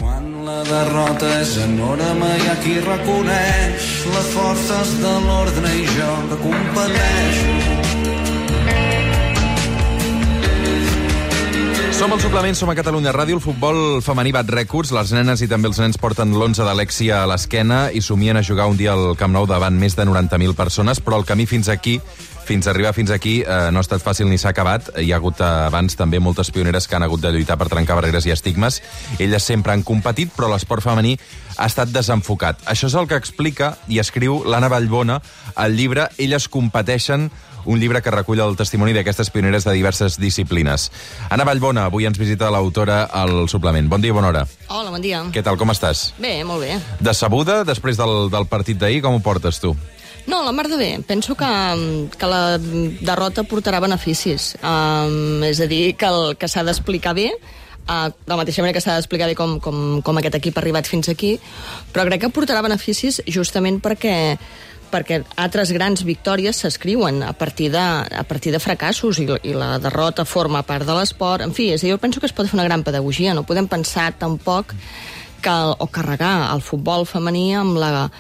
Quan la derrota és enorme hi ha qui reconeix les forces de l'ordre i jo que competeixo. Som al Suplement, som a Catalunya Ràdio. El futbol femení bat rècords. Les nenes i també els nens porten l'11 d'Alexia a l'esquena i somien a jugar un dia al Camp Nou davant més de 90.000 persones, però el camí fins a arribar fins aquí, no ha estat fàcil ni s'ha acabat. Hi ha hagut abans també moltes pioneres que han hagut de lluitar per trencar barreres i estigmes. Elles sempre han competit, però l'esport femení ha estat desenfocat. Això és el que explica i escriu l'Anna Vallbona al llibre Elles competeixen, un llibre que recull el testimoni d'aquestes pioneres de diverses disciplines. Anna Vallbona, avui ens visita l'autora al Suplement. Bon dia i bona hora. Hola, bon dia. Què tal, com estàs? Bé, molt bé. Decebuda després del partit d'ahir? Com ho portes, tu? No, la mar de bé. Penso que la derrota portarà beneficis. És a dir, que s'ha d'explicar bé, de la mateixa manera que s'ha d'explicar bé com aquest equip ha arribat fins aquí, però crec que portarà beneficis justament perquè altres grans victòries s'escriuen a partir de fracassos i la derrota forma part de l'esport. En fi, jo penso que es pot fer una gran pedagogia. No podem pensar tampoc o carregar el futbol femení amb la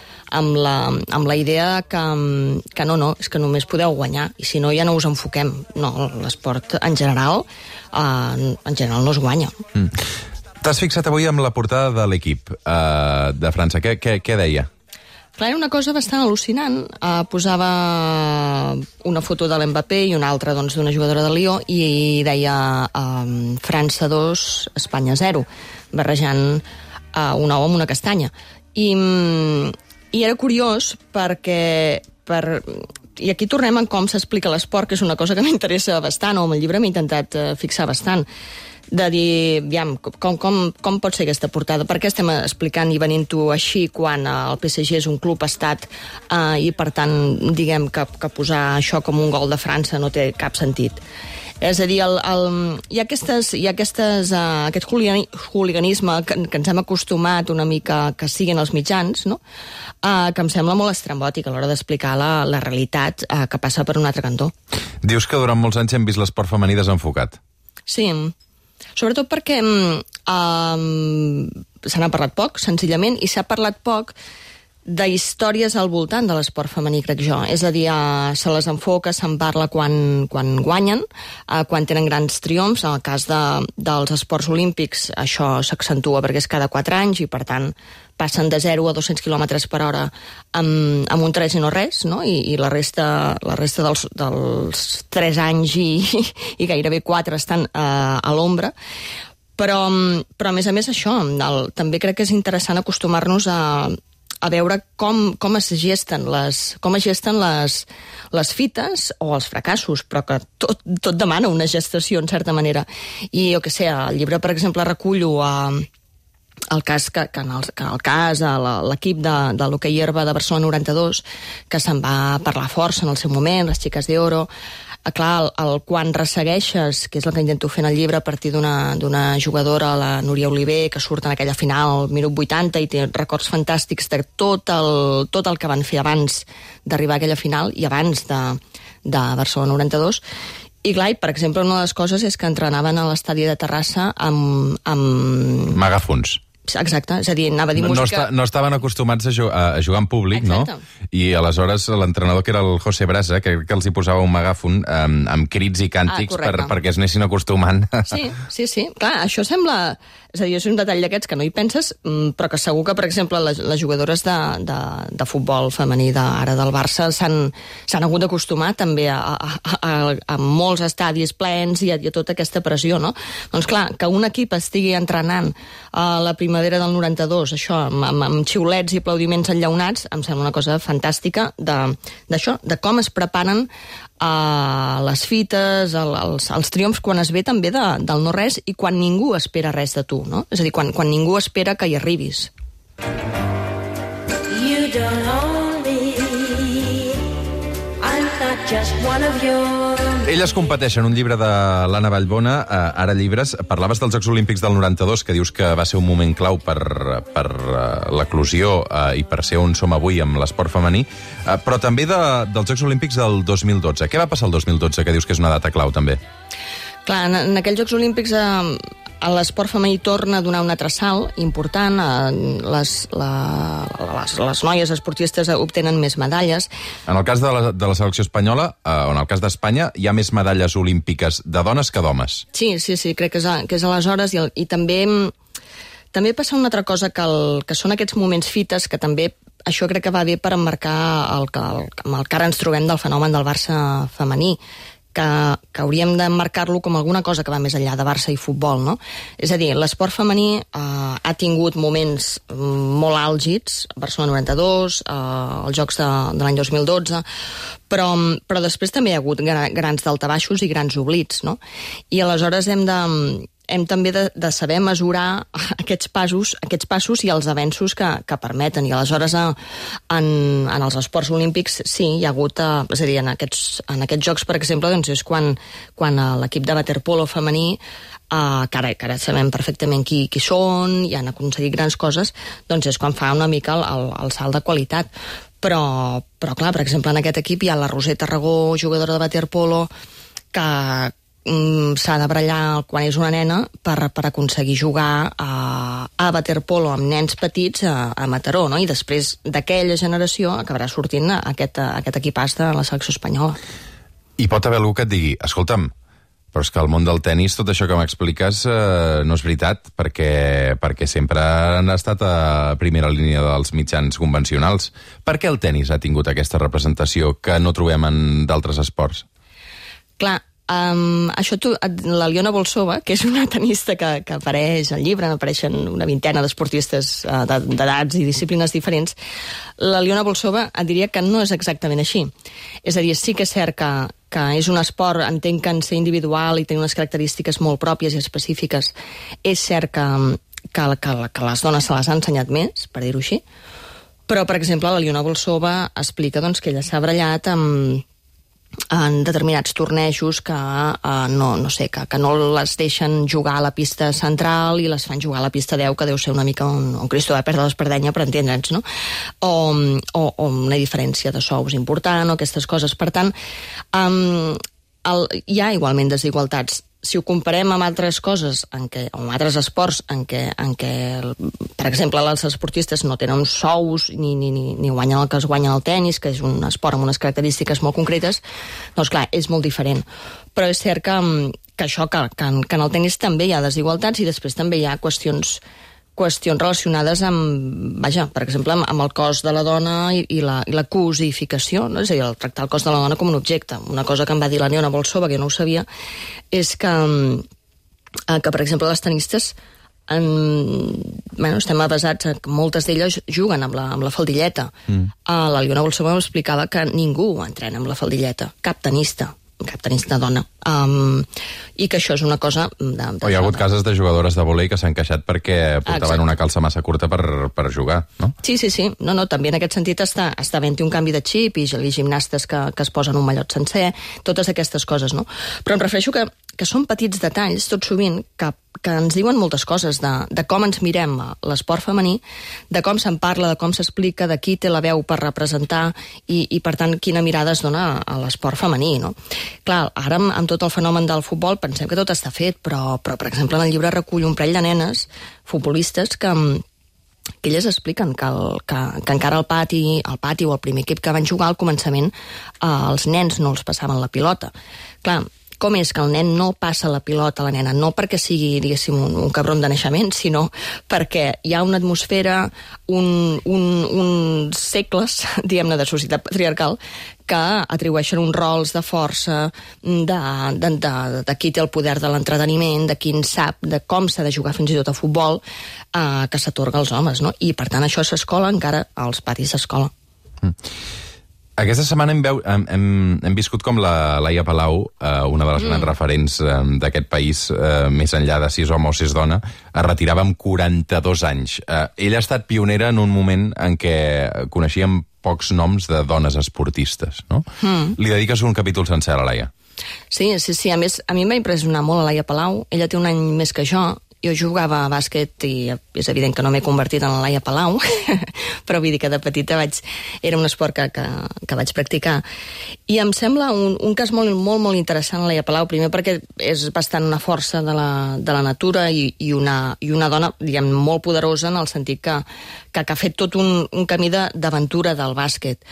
idea que no, és que només podeu guanyar i si no ja no us enfoquem. No, l'esport en general no es guanya. T'has fixat avui amb la portada de l'equip de França. Què deia? Clar, era una cosa bastant al·lucinant. Posava una foto de l'Mbappé i una altra d'una jugadora de Lió i deia França 2, Espanya 0, barrejant un ou amb una castanya. I era curiós perquè... I aquí tornem en com s'explica l'esport, que és una cosa que m'interessa bastant, o amb el llibre m'he intentat fixar bastant, de dir, aviam, com pot ser aquesta portada? Per què estem explicant i venint-ho així quan el PSG és un club estat i, per tant, diguem que posar això com un gol de França no té cap sentit? És a dir, hi ha aquest hooliganisme que ens hem acostumat una mica que siguin els mitjans, no? Que em sembla molt estrambòtic a l'hora d'explicar la realitat que passa per un altre cantó. Dius que durant molts anys hem vist l'esport femení desenfocat. Sí, sobretot perquè se n'ha parlat poc, senzillament, i s'ha parlat poc d'històries al voltant de l'esport femení, crec jo. És a dir, se les enfoca, se'n parla quan guanyen, quan tenen grans triomfs. En el cas dels esports olímpics això s'accentua perquè és cada 4 anys i, per tant, passen de 0 a 200 km per hora amb un 3 i no res, no? I la resta dels 3 anys i gairebé 4 estan a l'ombra. Però a més això, també crec que és interessant acostumar-nos a veure com es gesten les fites o els fracassos, però que tot demana una gestació, en certa manera. I, jo què sé, al llibre, per exemple, recullo el cas l'equip de l'hoquei herba de Barcelona 92, que se'n va parlar força en el seu moment, les xiques d'Oro. Clar, quan ressegueixes, que és el que intento fer en el llibre, a partir d'una jugadora, la Núria Oliver, que surt en aquella final al minut 80 i té records fantàstics de tot el que van fer abans d'arribar a aquella final i abans de Barcelona 92. I clar, per exemple, una de les coses és que entrenaven a l'estadi de Terrassa amb megàfons. Exacte, és a dir, anava a dir música... No estaven acostumats a jugar en públic, exacte. No? I aleshores l'entrenador, que era el José Brasa, que els hi posava un megàfon amb crits i càntics perquè es anessin acostumant. Sí. Clar, això sembla... És a dir, és un detall d'aquests que no hi penses, però que segur que, per exemple, les jugadores de futbol femení ara del Barça s'han hagut d'acostumar també a molts estadis plens i a tota aquesta pressió, no? Doncs clar, que un equip estigui entrenant a la primavera del 92, això, amb xiulets i aplaudiments enllaunats, em sembla una cosa fantàstica d'això, de com es preparen les fites, els triomfs, quan es ve també del no-res i quan ningú espera res de tu, no? És a dir, quan ningú espera que hi arribis. You don't own me, I'm not just one of yours. Elles competeixen, un llibre de l'Anna Vallbona, ara llibres. Parlaves dels Jocs Olímpics del 92, que dius que va ser un moment clau per l'eclosió i per ser on som avui amb l'esport femení, però també dels Jocs Olímpics del 2012. Què va passar el 2012, que dius que és una data clau, també? Clar, en aquells Jocs Olímpics l'esport femení torna a donar un altre salt important, les noies esportistes obtenen més medalles. En el cas de la selecció espanyola, o en el cas d'Espanya, hi ha més medalles olímpiques de dones que d'homes. Sí, crec que és aleshores, i també passa una altra cosa, que són aquests moments fites, que també això crec que va bé per emmarcar el que ara ens trobem del fenomen del Barça femení, que hauríem d'emmarcar-lo com alguna cosa que va més enllà de Barça i futbol, no? És a dir, l'esport femení ha tingut moments molt àlgids, Barcelona 92, els Jocs de l'any 2012, però després també hi ha hagut grans daltabaixos i grans oblits, no? I aleshores hem també de saber mesurar aquests passos i els avenços que permeten. I aleshores en els esports olímpics sí, hi ha hagut, és a dir, en aquests jocs, per exemple, doncs és quan l'equip de waterpolo femení, que ara sabem perfectament qui són i han aconseguit grans coses, doncs és quan fa una mica el salt de qualitat. Però clar, per exemple, en aquest equip hi ha la Roser Tarragó, jugadora de waterpolo, que s'ha de brallar quan és una nena per aconseguir jugar a waterpolo amb nens petits a Mataró, no? I després d'aquella generació acabarà sortint aquest equipàs de la selecció espanyola. I pot haver algú que et digui, escolta'm, però és que al món del tennis tot això que m'expliques no és veritat, perquè sempre han estat a primera línia dels mitjans convencionals. Per què el tennis ha tingut aquesta representació que no trobem en d'altres esports? Clar, la Liona Bolsova, que és una tenista que apareix al llibre, apareixen una vintena d'esportistes d'edats i disciplines diferents, la Liona Bolsova et diria que no és exactament així. És a dir, sí que és cert que és un esport, entenc que en ser individual i tenir unes característiques molt pròpies i específiques, és cert que les dones se les han ensenyat més, per dir-ho així, però, per exemple, la Liona Bolsova explica doncs, que ella s'ha brallat en determinats tornejos que no les deixen jugar a la pista central i les fan jugar a la pista 10, que deu ser una mica un Cristo de perdre l'espardenya, per entendre'ns, no? O una diferència de sous important, o aquestes coses. Per tant, hi ha igualment desigualtats. Si ho comparem amb altres coses, o amb altres esports en què, per exemple, els esportistes no tenen uns sous ni guanyen el que es guanya al tennis, que és un esport amb unes característiques molt concretes, doncs clar, és molt diferent. Però és cert que en el tennis també hi ha desigualtats i després també hi ha qüestions relacionades amb, per exemple, amb el cos de la dona i la cosificació, no? És a dir, el tractar el cos de la dona com un objecte. Una cosa que em va dir la Liona Bolsova, que jo no ho sabia, és que per exemple, les tenistes estem avasats que moltes d'elles juguen amb la faldilleta. La Liona Bolsova m'explicava que ningú entrena amb la faldilleta, cap tenista dona, i que això és una cosa hi ha hagut casos de jugadores de vòlei que s'han queixat perquè portaven una calça massa curta per jugar, no? Sí. No, també en aquest sentit està havent-hi un canvi de xip i gimnastes que es posen un mallot sencer, totes aquestes coses, no? Però em refereixo que són petits detalls, tot sovint, que ens diuen moltes coses de com ens mirem l'esport femení, de com se'n parla, de com s'explica, de qui té la veu per representar i per tant, quina mirada es dona a l'esport femení, no? Clar, ara amb tot el fenomen del futbol pensem que tot està fet, però per exemple, en el llibre recull un parell de nenes futbolistes que elles expliquen que encara al pati o el primer equip que van jugar al començament els nens no els passaven la pilota. Clar, com és que el nen no passa la pilota a la nena? No perquè sigui, diguéssim, un cabron de naixement, sinó perquè hi ha una atmosfera, uns segles, diguem-ne, de societat patriarcal que atribueixen uns rols de força, de qui té el poder de l'entreteniment, de qui en sap, de com s'ha de jugar fins i tot a futbol, que s'atorga als homes, no? I, per tant, això s'escola encara als patis d'escola. Aquesta setmana hem viscut com la Laia Palau, una de les grans referents d'aquest país, més enllà de si és home o si és dona, es retirava amb 42 anys. Ella ha estat pionera en un moment en què coneixíem pocs noms de dones esportistes, no? Li dediques un capítol sencer a la Laia. Sí. A més, a mi em va impressionar molt la Laia Palau. Ella té un any més que jo jo jugava a bàsquet i és evident que no m'he convertit en la Laia Palau, però vull dir que de petita era un esport que vaig practicar. I em sembla un cas molt, molt, molt interessant la Laia Palau, primer perquè és bastant una força de la natura i una dona, diguem, molt poderosa en el sentit que ha fet tot un camí d'aventura del bàsquet.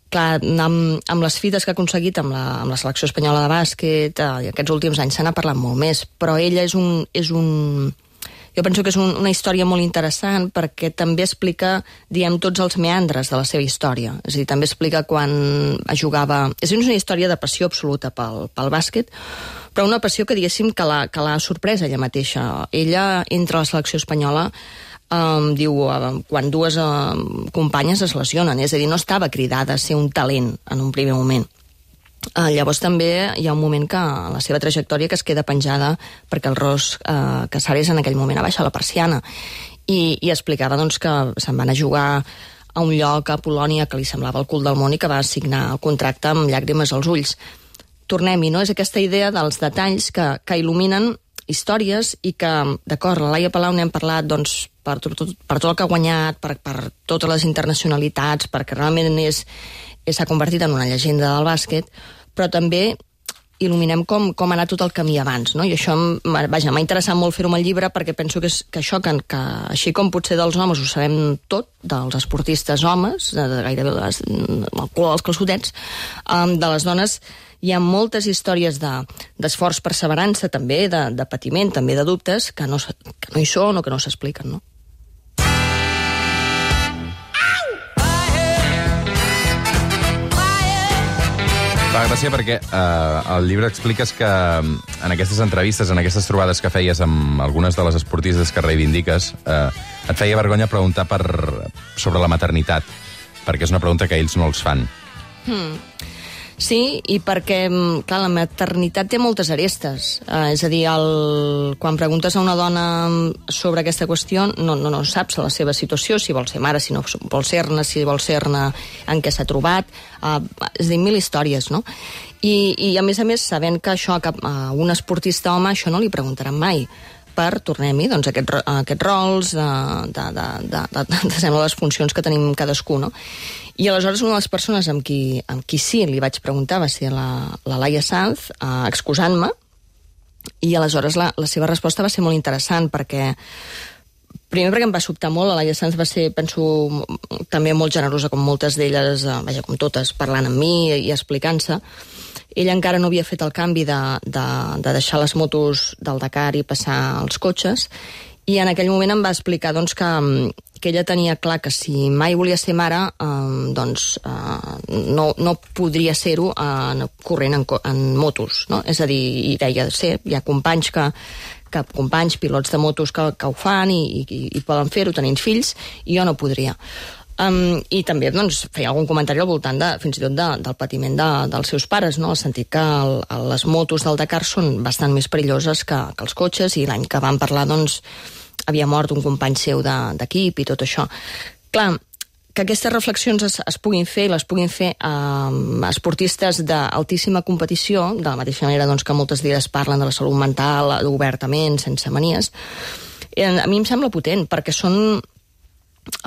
Clar, amb les fites que ha aconseguit amb la selecció espanyola de bàsquet, aquests últims anys se n'ha parlat molt més, però ella jo penso que és una història molt interessant perquè també explica, diguem, tots els meandres de la seva història. És a dir, també explica quan jugava... És una història de passió absoluta pel bàsquet, però una passió que, diguéssim, que l'ha sorpresa ella mateixa. Ella entra a la selecció espanyola diu, quan dues companyes es lesionen, és a dir, no estava cridada a ser un talent en un primer moment. Llavors també hi ha un moment que la seva trajectòria que es queda penjada perquè el Ros Casares en aquell moment ha baixat la persiana i explicava doncs, que se'n van a jugar a un lloc a Polònia que li semblava el cul del món i que va signar el contracte amb llàgrimes als ulls. Tornem-hi, no? És aquesta idea dels detalls que il·luminen històries i que, d'acord, la Laia Palau n'hem parlat doncs, per tot el que ha guanyat, per totes les internacionalitats, perquè realment s'ha convertit en una llegenda del bàsquet, però també il·luminem com ha anat tot el camí abans, no? I això m'ha interessat molt fer-ho amb el llibre perquè penso que això, que així com potser dels homes ho sabem tot, dels esportistes homes, gairebé el color dels calçotets, de les dones hi ha moltes històries d'esforç, perseverança, també, de patiment, també de dubtes, que no hi són o que no s'expliquen, no? Fa gràcia perquè al llibre expliques que en aquestes entrevistes, en aquestes trobades que feies amb algunes de les esportistes que reivindiques, et feia vergonya preguntar sobre la maternitat, perquè és una pregunta que ells no els fan. Sí, i perquè, clar, la maternitat té moltes arestes. És a dir, quan preguntes a una dona sobre aquesta qüestió, no saps la seva situació, si vol ser mare, si no vol ser-ne, si vol ser-ne, en què s'ha trobat. És a dir, 1000 històries, no? I a més, sabent que això a un esportista home, això no li preguntaran mai. Tornem-hi, doncs, aquests rols, sembla les funcions que tenim cadascú, no? I aleshores una de les persones amb qui sí li vaig preguntar va ser la Laia Sanz, excusant-me, i aleshores la seva resposta va ser molt interessant perquè primer perquè em va sobtar molt, la Laia Sanz va ser, penso, també molt generosa com moltes d'elles, vaja, com totes, parlant amb mi i explicant-se. Ella encara no havia fet el canvi de deixar les motos del Dakar i passar als cotxes, i en aquell moment em va explicar doncs, que ella tenia clar que si mai volia ser mare, doncs no podria ser-ho corrent en motos, no? És a dir, i deia, hi ha companys companys, pilots de motos que ho fan i poden fer-ho tenint fills, i jo no podria. I també doncs, feia algun comentari al voltant fins i tot del patiment dels seus pares, no? El sentit que les motos del Dakar són bastant més perilloses que els cotxes, i l'any que vam parlar doncs, havia mort un company seu d'equip i tot això. Clar, que aquestes reflexions es puguin fer, les puguin fer esportistes d'altíssima competició, de la mateixa manera doncs, que moltes d'elles parlen de la salut mental obertament, sense manies, a mi em sembla potent, perquè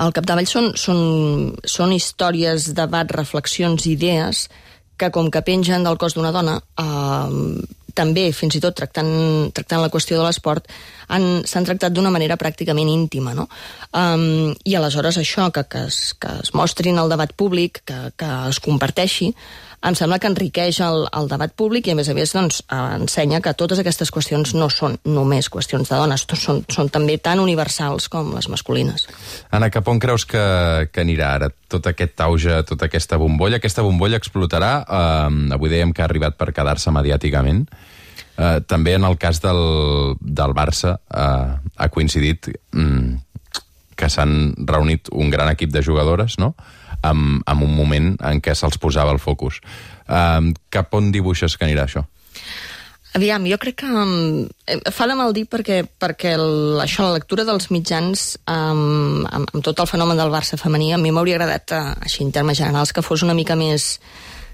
al capdavall són històries, debat, reflexions, idees que com que pengen del cos d'una dona, també, fins i tot tractant la qüestió de l'esport, s'han tractat d'una manera pràcticament íntima, no? I aleshores això, que es mostrin al debat públic, que es comparteixi, em sembla que enriqueix el debat públic i, a més, doncs, ensenya que totes aquestes qüestions no són només qüestions de dones, són també tan universals com les masculines. Anna, cap on creus que anirà ara tot aquest auge, tota aquesta bombolla? Aquesta bombolla explotarà? Avui dèiem que ha arribat per quedar-se mediàticament. També en el cas del Barça ha coincidit que s'han reunit un gran equip de jugadores, no?, en un moment en què se'ls posava el focus. Cap on dibuixes que anirà això? Aviam, jo crec que fa de mal dir perquè això, la lectura dels mitjans amb tot el fenomen del Barça femení, a mi m'hauria agradat, així en termes generals, que fos una mica més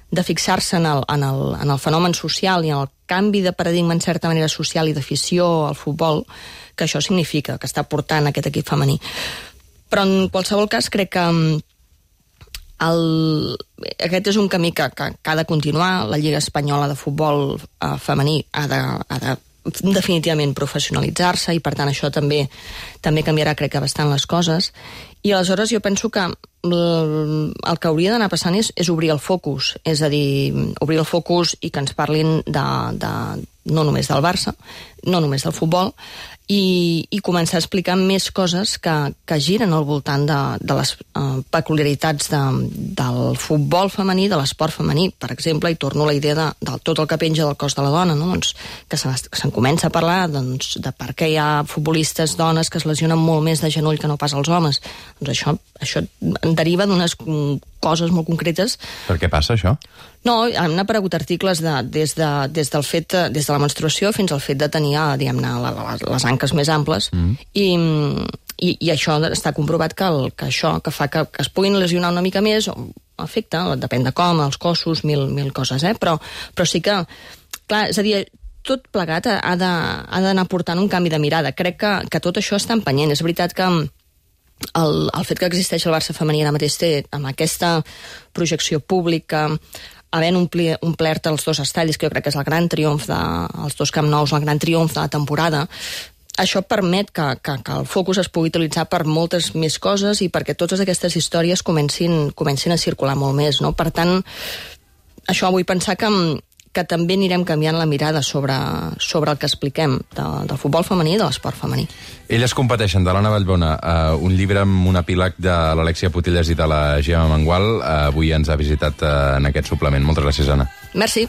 de fixar-se en el fenomen social i en el canvi de paradigma en certa manera social i d'afició al futbol que això significa, que està portant aquest equip femení. Però en qualsevol cas crec que aquest és un camí que ha de continuar. La Lliga Espanyola de Futbol femení ha de definitivament professionalitzar-se i per tant això també canviarà crec que bastant les coses, i aleshores jo penso que el que hauria d'anar passant és obrir el focus, és a dir, obrir el focus i que ens parlin no només del Barça, no només del futbol, i començar a explicar més coses que giren al voltant de les peculiaritats del futbol femení, de l'esport femení, per exemple, i torno a la idea de tot el que penja del cos de la dona, no? Doncs, que se'n comença a parlar de per què hi ha futbolistes dones que es lesionen molt més de genoll que no pas els homes. Doncs això en deriva d'unes coses molt concretes. Per què passa això? No, han aparegut articles des de la menstruació fins al fet de tenir, diguem-ne, les anques més amples, i això està comprovat que això que fa que es puguin lesionar una mica més, afecta, depèn de com, els cossos, mil coses, però sí que, clar, és a dir, tot plegat ha d'anar portant un canvi de mirada. Crec que tot això està empenyent. És veritat que el fet que existeix el Barça femení ara mateix té, amb aquesta projecció pública, havent omplert els dos estadis, que jo crec que és el gran triomf els dos Camp Nous, el gran triomf de la temporada, això permet que el focus es pugui utilitzar per moltes més coses i perquè totes aquestes històries comencin a circular molt més, no? Per tant, això vull pensar que també anirem canviant la mirada sobre el que expliquem del futbol femení i de l'esport femení. Elles competeixen, de l'Anna Vallbona, un llibre amb un epíleg de l'Alexia Putellas i de la Gemma Mengual. Avui ens ha visitat en aquest suplement. Moltes gràcies, Anna. Merci.